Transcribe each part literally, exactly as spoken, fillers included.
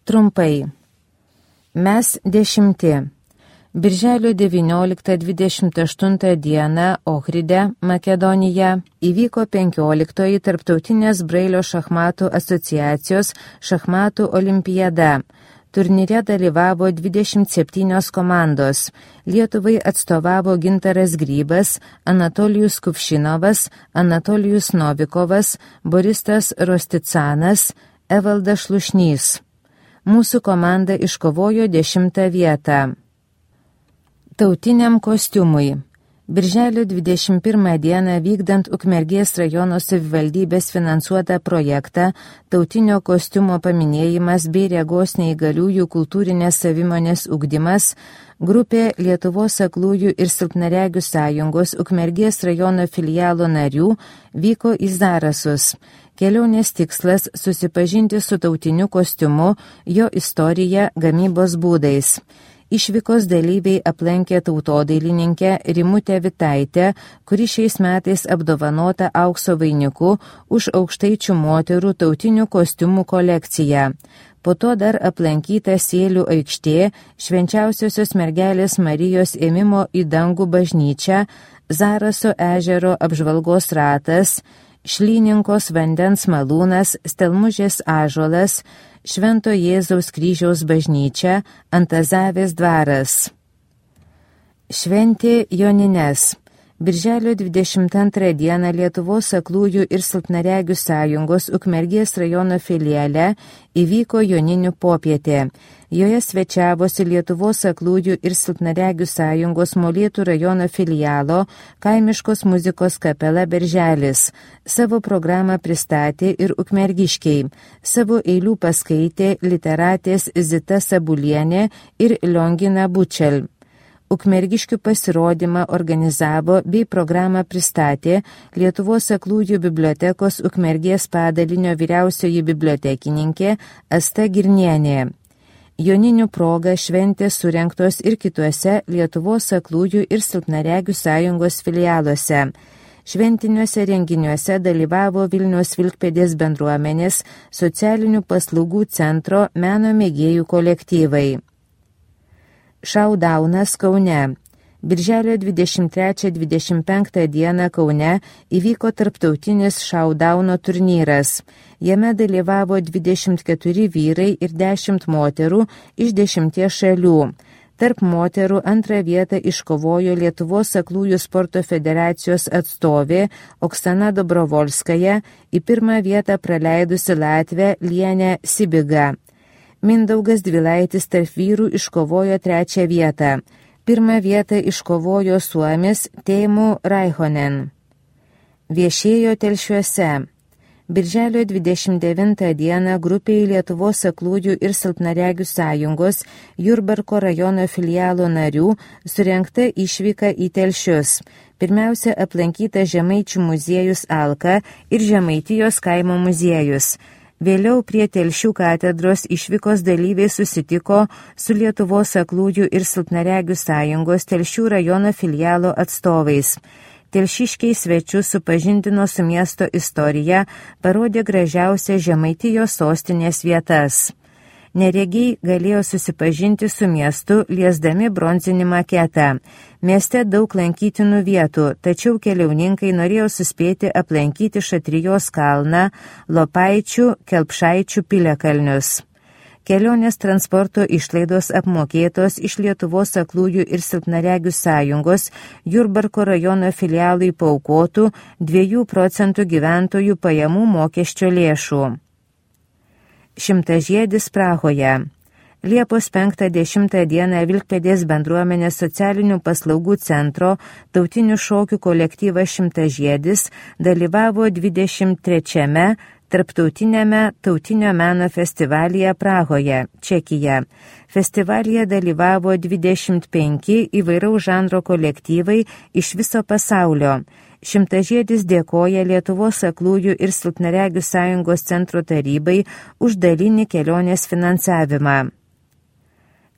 Trumpai. Mes dešimti. Birželio devynioliktą dvidešimt aštuntą dieną Ohride, Makedonija, įvyko penkioliktoji Tarptautinės Brailio šachmatų asociacijos šachmatų olimpiada. Turnyre dalyvavo dvidešimt septynios komandos. Lietuvai atstovavo Gintaras Grybas, Anatolijus Kuvšinovas, Anatolijus Novikovas, Boristas Rosticanas, Evaldas Šlušnys. Mūsų komanda iškovojo dešimtą vietą. Tautiniam kostiumui. Birželio dvidešimt pirmą dieną vykdant Ukmergės rajono savivaldybės finansuotą projektą tautinio kostiumo paminėjimas bei regos neįgaliųjų kultūrinės savimonės ugdymas, grupė Lietuvos aklųjų ir silpnaregių sąjungos Ukmergės rajono filialo narių vyko į Zarasus. Kelionės tikslas susipažinti su tautiniu kostiumu, jo istorija, gamybos būdais. Išvykos dalyviai aplankė tautodailininkę Rimutę Vitaitę, kuri šiais metais apdovanota aukso vainiku už aukštaičių moterų tautinių kostiumų kolekciją. Po to dar aplankyta Sėlių aikštė, Švenčiausiosios mergelės Marijos ėmimo į dangų bažnyčią, Zaraso ežero apžvalgos ratas, Šlyninkos vandens malūnas, Stelmužės ąžuolas, Švento Jėzaus kryžiaus bažnyčia, Antazavės dvaras. Šventė Jonines. Birželio dvidešimt antrą dieną Lietuvos aklųjų ir silpnaregių sąjungos Ukmergės rajono filiale įvyko Joninių popietė. Joje svečiavosi Lietuvos aklųjų ir silpnaregių sąjungos Molėtų rajono filialo kaimiškos muzikos kapela Berželis. Savo programą pristatė ir ukmergiškiai. Savo eilių paskaitė literatės Zita Sabulienė ir Liongina Bučel. Ukmergiškių pasirodymą organizavo bei programą pristatė Lietuvos aklųjų bibliotekos Ukmergės padalinio vyriausioji bibliotekininkė Asta Girnienė. Joninių proga šventės surengtos ir kituose Lietuvos aklųjų ir silpnaregių sąjungos filialuose. Šventiniuose renginiuose dalyvavo Vilniaus Vilkpėdės bendruomenės socialinių paslaugų centro meno mėgėjų kolektyvai. Šaudaunas Kaune. Birželio dvidešimt trečią dvidešimt penktą dieną Kaune įvyko tarptautinis šaudauno turnyras. Jame dalyvavo dvidešimt keturi vyrai ir dešimt moterų iš dešimties šalių. Tarp moterų antrą vietą iškovojo Lietuvos aklųjų sporto federacijos atstovė Oksana Dobrovolskaja, į pirmą vietą praleidusi Latvę Lienę Sibiga. Mindaugas Dvilaitis tarp vyrų iškovojo trečią vietą. Pirmą vietą iškovojo suomis Teemu Raihonen. Viešėjo Telšiuose. Birželio dvidešimt devintą dieną grupėje Lietuvos aklųjų ir silpnaregių sąjungos Jurbarko rajono filialo narių surengta išvyka į Telšius. Pirmiausia aplankyta Žemaičių muziejus Alka ir Žemaitijos kaimo muziejus. Vėliau prie Telšių katedros išvykos dalyviai susitiko su Lietuvos aklųjų ir silpnaregių sąjungos Telšių rajono filialo atstovais. Telšiškiai svečius supažindino su miesto istorija, parodė gražiausias Žemaitijos sostinės vietas. Neregiai galėjo susipažinti su miestu, liesdami bronzinį maketą. Mieste daug lankytinų vietų, tačiau keliauninkai norėjo suspėti aplankyti Šatrijos kalną, Lopaičių, Kelpšaičių piliakalnius. Kelionės transporto išlaidos apmokėtos iš Lietuvos aklųjų ir silpnaregių sąjungos Jurbarko rajono filialui paaukotų dviejų procentų gyventojų pajamų mokesčio lėšų. Šimtažiedis Prahoje. Liepos penktą dešimtą dieną Vilkpėdės bendruomenės socialinių paslaugų centro tautinių šokių kolektyvas Šimtažiedis dalyvavo dvidešimt trečiame Tarptautinėme tautinio meno festivalyje Prahoje, Čekija. Festivalyje dalyvavo dvidešimt penki įvairaus žanro kolektyvai iš viso pasaulio. Šimtažiedis dėkoja Lietuvos aklųjų ir silpnaregių sąjungos centro tarybai už dalinį kelionės finansavimą.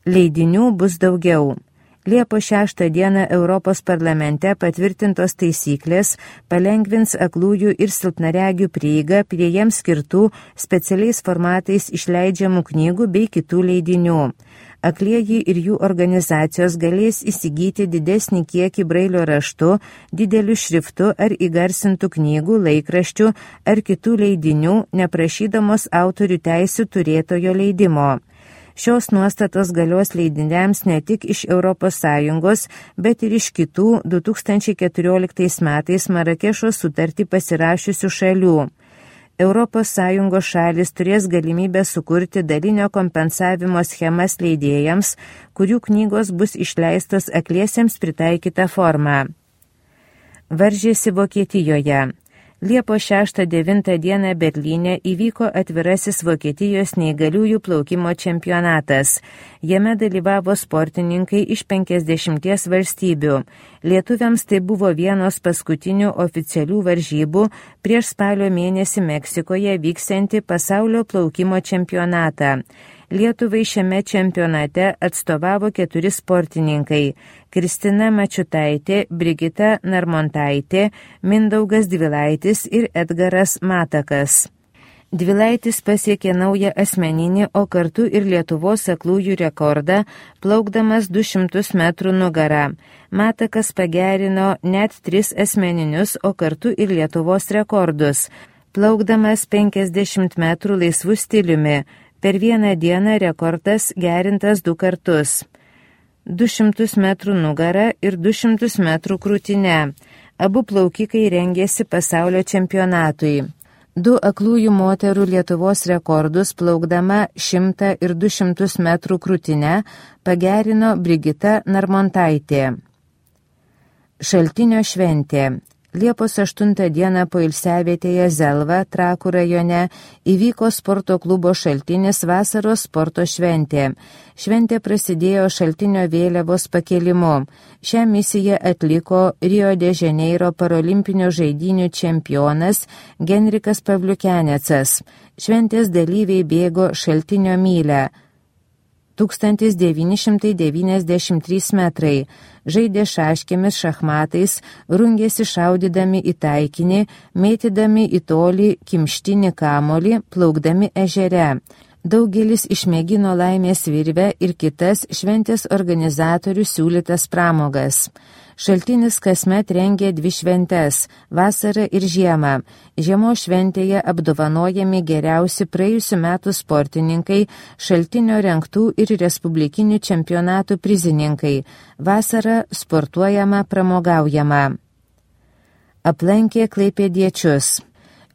Leidinių bus daugiau. Liepos šeštą dieną Europos parlamente patvirtintos taisyklės palengvins aklųjų ir silpnaregių prieigą prie jiems skirtų specialiais formatais išleidžiamų knygų bei kitų leidinių. Aklieji ir jų organizacijos galės įsigyti didesnį kiekį brailio raštu, dideliu šriftu ar įgarsintų knygų, laikraščių ar kitų leidinių, neprašydamos autorių teisių turėtojo leidimo. Šios nuostatos galios leidiniams ne tik iš Europos Sąjungos, bet ir iš kitų du tūkstančiai keturioliktais metais Marakešo sutartį pasirašiusių šalių. Europos Sąjungos šalis turės galimybę sukurti dalinio kompensavimo schemas leidėjams, kurių knygos bus išleistos akliesiems pritaikytą formą. Varžėsi Vokietijoje. Liepos šeštą devintą dieną Berlyne įvyko atvirasis Vokietijos neįgaliųjų plaukimo čempionatas. Jame dalyvavo sportininkai iš penkiasdešimties valstybių. Lietuviams tai buvo vienos paskutinių oficialių varžybų prieš spalio mėnesį Meksikoje vyksiantį pasaulio plaukimo čempionatą. Lietuvai šiame čempionate atstovavo keturi sportininkai – Kristina Mačiutaitė, Brigita Narmontaitė, Mindaugas Dvilaitis ir Edgaras Matakas. Dvilaitis pasiekė naują asmeninį, o kartu ir Lietuvos aklųjų rekordą, plaukdamas du šimtus metrų nugarą. Matakas pagerino net tris asmeninius, o kartu ir Lietuvos rekordus, plaukdamas penkiasdešimt metrų laisvų stiliumi. Per vieną dieną rekordas gerintas du kartus. du šimtus metrų nugarą ir du šimtus metrų krūtinę. Abu plaukikai rengėsi pasaulio čempionatui. Du aklųjų moterų Lietuvos rekordus plaukdama šimtą ir du šimtus metrų krūtinę pagerino Brigita Narmontaitė. Šaltinio šventė. Liepos aštuntą dieną poilsiavietėje Zelva, Trakų rajone, įvyko sporto klubo Šaltinis vasaros sporto šventė. Šventė prasidėjo Šaltinio vėliavos pakėlimu. Šią misiją atliko Rio de Janeiro parolimpinio žaidynių čempionas Genrikas Pavliukenecas. Šventės dalyviai bėgo Šaltinio mylę. tūkstantis devyni šimtai devyniasdešimt trys metrai, žaidė šaškėmis šachmatais, rungėsi šaudydami į taikinį, mėtydami į tolį kimštinį kamolį, plaukdami ežere. Daugelis išmėgino laimės virvę ir kitas šventės organizatorių siūlytas pramogas. Šaltinis kasmet rengė dvi šventes – vasarą ir žiemą. Žiemos šventėje apdovanojami geriausi praėjusių metų sportininkai, Šaltinio rengtų ir respublikinių čempionatų prizininkai. Vasarą sportuojama, pramogaujama. Aplankė klaipėdiečius.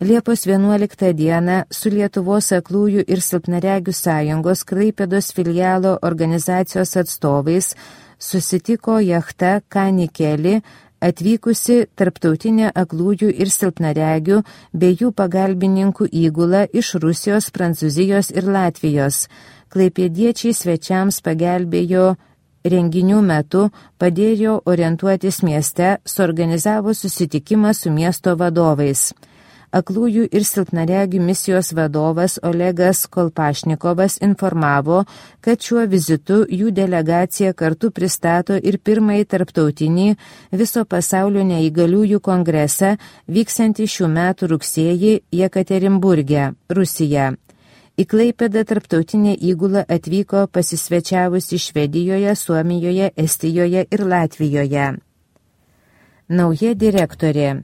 Liepos vienuoliktą dieną su Lietuvos aklųjų ir silpnaregių sąjungos Klaipėdos filialo organizacijos atstovais susitiko jachta Kanikeli, atvykusi tarptautinė aklųjų ir silpnaregių bei jų pagalbininkų įgula iš Rusijos, Prancūzijos ir Latvijos. Klaipėdiečiai svečiams pagelbėjo renginių metu, padėjo orientuotis mieste, suorganizavo susitikimą su miesto vadovais. Aklųjų ir silpnaregių misijos vadovas Olegas Kolpašnikovas informavo, kad šiuo vizitu jų delegacija kartu pristato ir pirmąjį tarptautinį viso pasaulio neįgaliųjų kongresą vyksiantį šių metų rugsėjį Jekaterinburge, Rusija. Į Klaipėdą tarptautinė įgula atvyko pasisvečiavusi Švedijoje, Suomijoje, Estijoje ir Latvijoje. Nauja direktorė.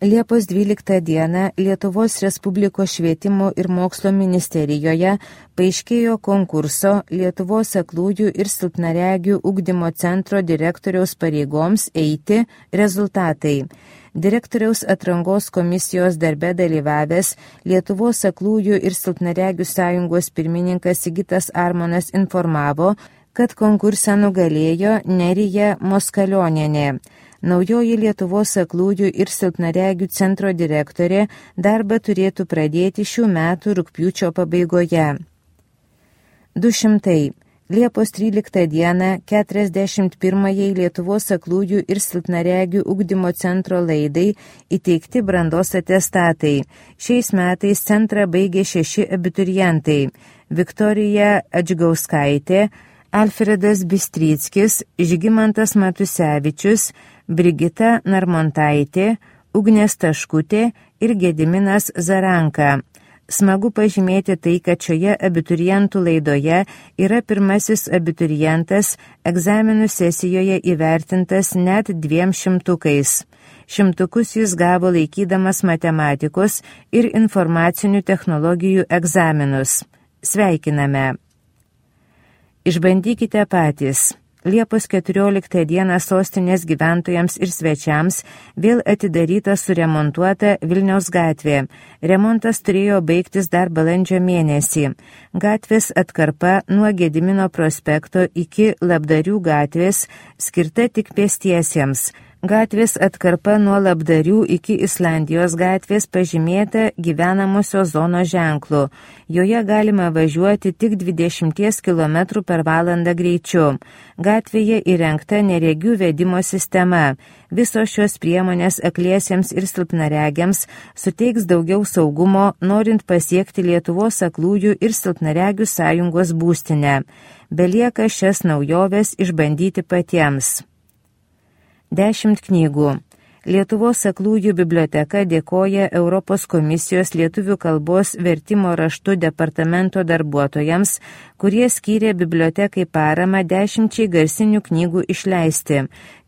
Liepos dvyliktą dieną Lietuvos Respublikos švietimo ir mokslo ministerijoje paaiškėjo konkurso Lietuvos aklųjų ir silpnaregių ugdymo centro direktoriaus pareigoms eiti rezultatai. Direktoriaus atrankos komisijos darbe dalyvavęs Lietuvos aklųjų ir silpnaregių sąjungos pirmininkas Sigitas Armonas informavo, kad konkursą nugalėjo Nerija Moskalionienė. Naujoji Lietuvos aklųjų ir silpnaregių centro direktorė darbą turėtų pradėti šių metų rugpjūčio pabaigoje. du šimtai. Liepos tryliktą dieną keturiasdešimt pirmajai Lietuvos aklųjų ir silpnaregių ugdymo centro laidai įteikti brandos atestatai. Šiais metais centrą baigė šeši abiturientai – Viktorija Adžgauskaitė, Alfredas Bystryckis, Žygimantas Matusevičius, Brigita Narmontaitė, Ugnė Staškutė ir Gediminas Zaranka. Smagu pažymėti tai, kad šioje abiturientų laidoje yra pirmasis abiturientas egzaminų sesijoje įvertintas net dviem šimtukais. Šimtukus jis gavo laikydamas matematikos ir informacinių technologijų egzaminus. Sveikiname! Išbandykite patys. Liepos keturioliktą dieną sostinės gyventojams ir svečiams vėl atidaryta suremontuota Vilniaus gatvė. Remontas turėjo baigtis dar balandžio mėnesį. Gatvės atkarpa nuo Gedimino prospekto iki Labdarių gatvės skirta tik pėstiesiems. Gatvės atkarpa nuo Labdarių iki Islandijos gatvės pažymėta gyvenamosios zonos ženklu. Joje galima važiuoti tik dvidešimt kilometrų per valandą greičiu. Gatvėje įrengta neregių vedimo sistema. Visos šios priemonės akliesiems ir silpnaregiams suteiks daugiau saugumo, norint pasiekti Lietuvos aklųjų ir silpnaregių sąjungos būstinę. Belieka šias naujoves išbandyti patiems. Dešimt knygų. Lietuvos aklųjų biblioteka dėkoja Europos komisijos lietuvių kalbos vertimo raštu departamento darbuotojams, kurie skyrė bibliotekai paramą dešimčiai garsinių knygų išleisti.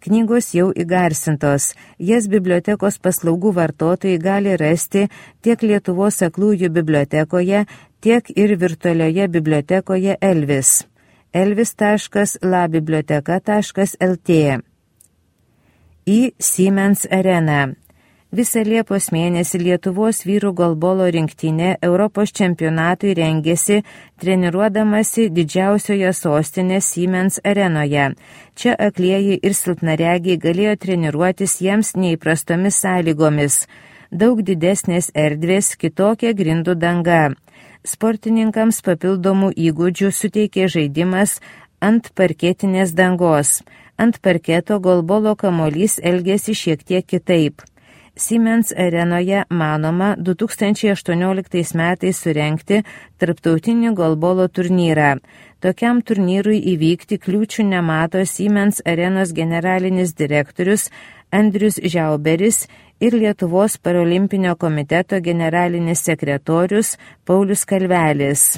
Knygos jau įgarsintos. Jas bibliotekos paslaugų vartotojai gali rasti tiek Lietuvos aklųjų bibliotekoje, tiek ir virtualioje bibliotekoje Elvis. elvis taškas labiblioteka taškas lt. Į Siemens areną. Visą Liepos mėnesį Lietuvos vyrų golbolo rinktinė Europos čempionatui rengėsi, treniruodamasi didžiausioje sostinės Siemens arenoje. Čia aklieji ir silpnaregiai galėjo treniruotis jiems neįprastomis sąlygomis. Daug didesnės erdvės, kitokia grindų danga. Sportininkams papildomų įgūdžių suteikė žaidimas ant parketinės dangos. Ant parketo golbolo kamuolys elgėsi šiek tiek kitaip. Siemens arenoje manoma du tūkstančiai aštuonioliktais metais surengti tarptautinį golbolo turnyrą. Tokiam turnyrui įvykti kliūčių nemato Siemens arenos generalinis direktorius Andrius Žiauberis ir Lietuvos parolimpinio komiteto generalinis sekretorius Paulius Kalvelis.